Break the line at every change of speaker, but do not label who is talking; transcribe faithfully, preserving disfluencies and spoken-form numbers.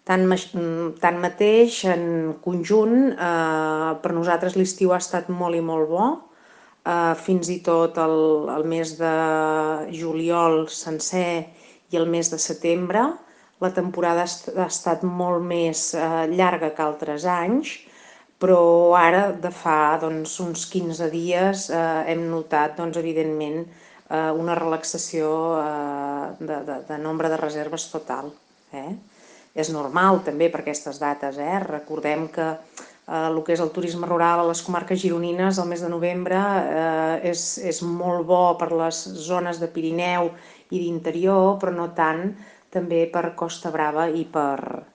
Tanmateix, en conjunt, per nosaltres l'estiu ha estat molt i molt bo. Fins i tot el mes de juliol sencer i el mes de setembre. La temporada ha estat molt més llarga que altres anys, però ara, de fa uns quinze dies, hem notat, evidentment, una relaxació de nombre de reserves total. És normal, també, per aquestes dates. Recordem que el que és el turisme rural a les comarques gironines, el mes de novembre, és molt bo per les zones de Pirineu i d'interior, però no tant també per Costa Brava i per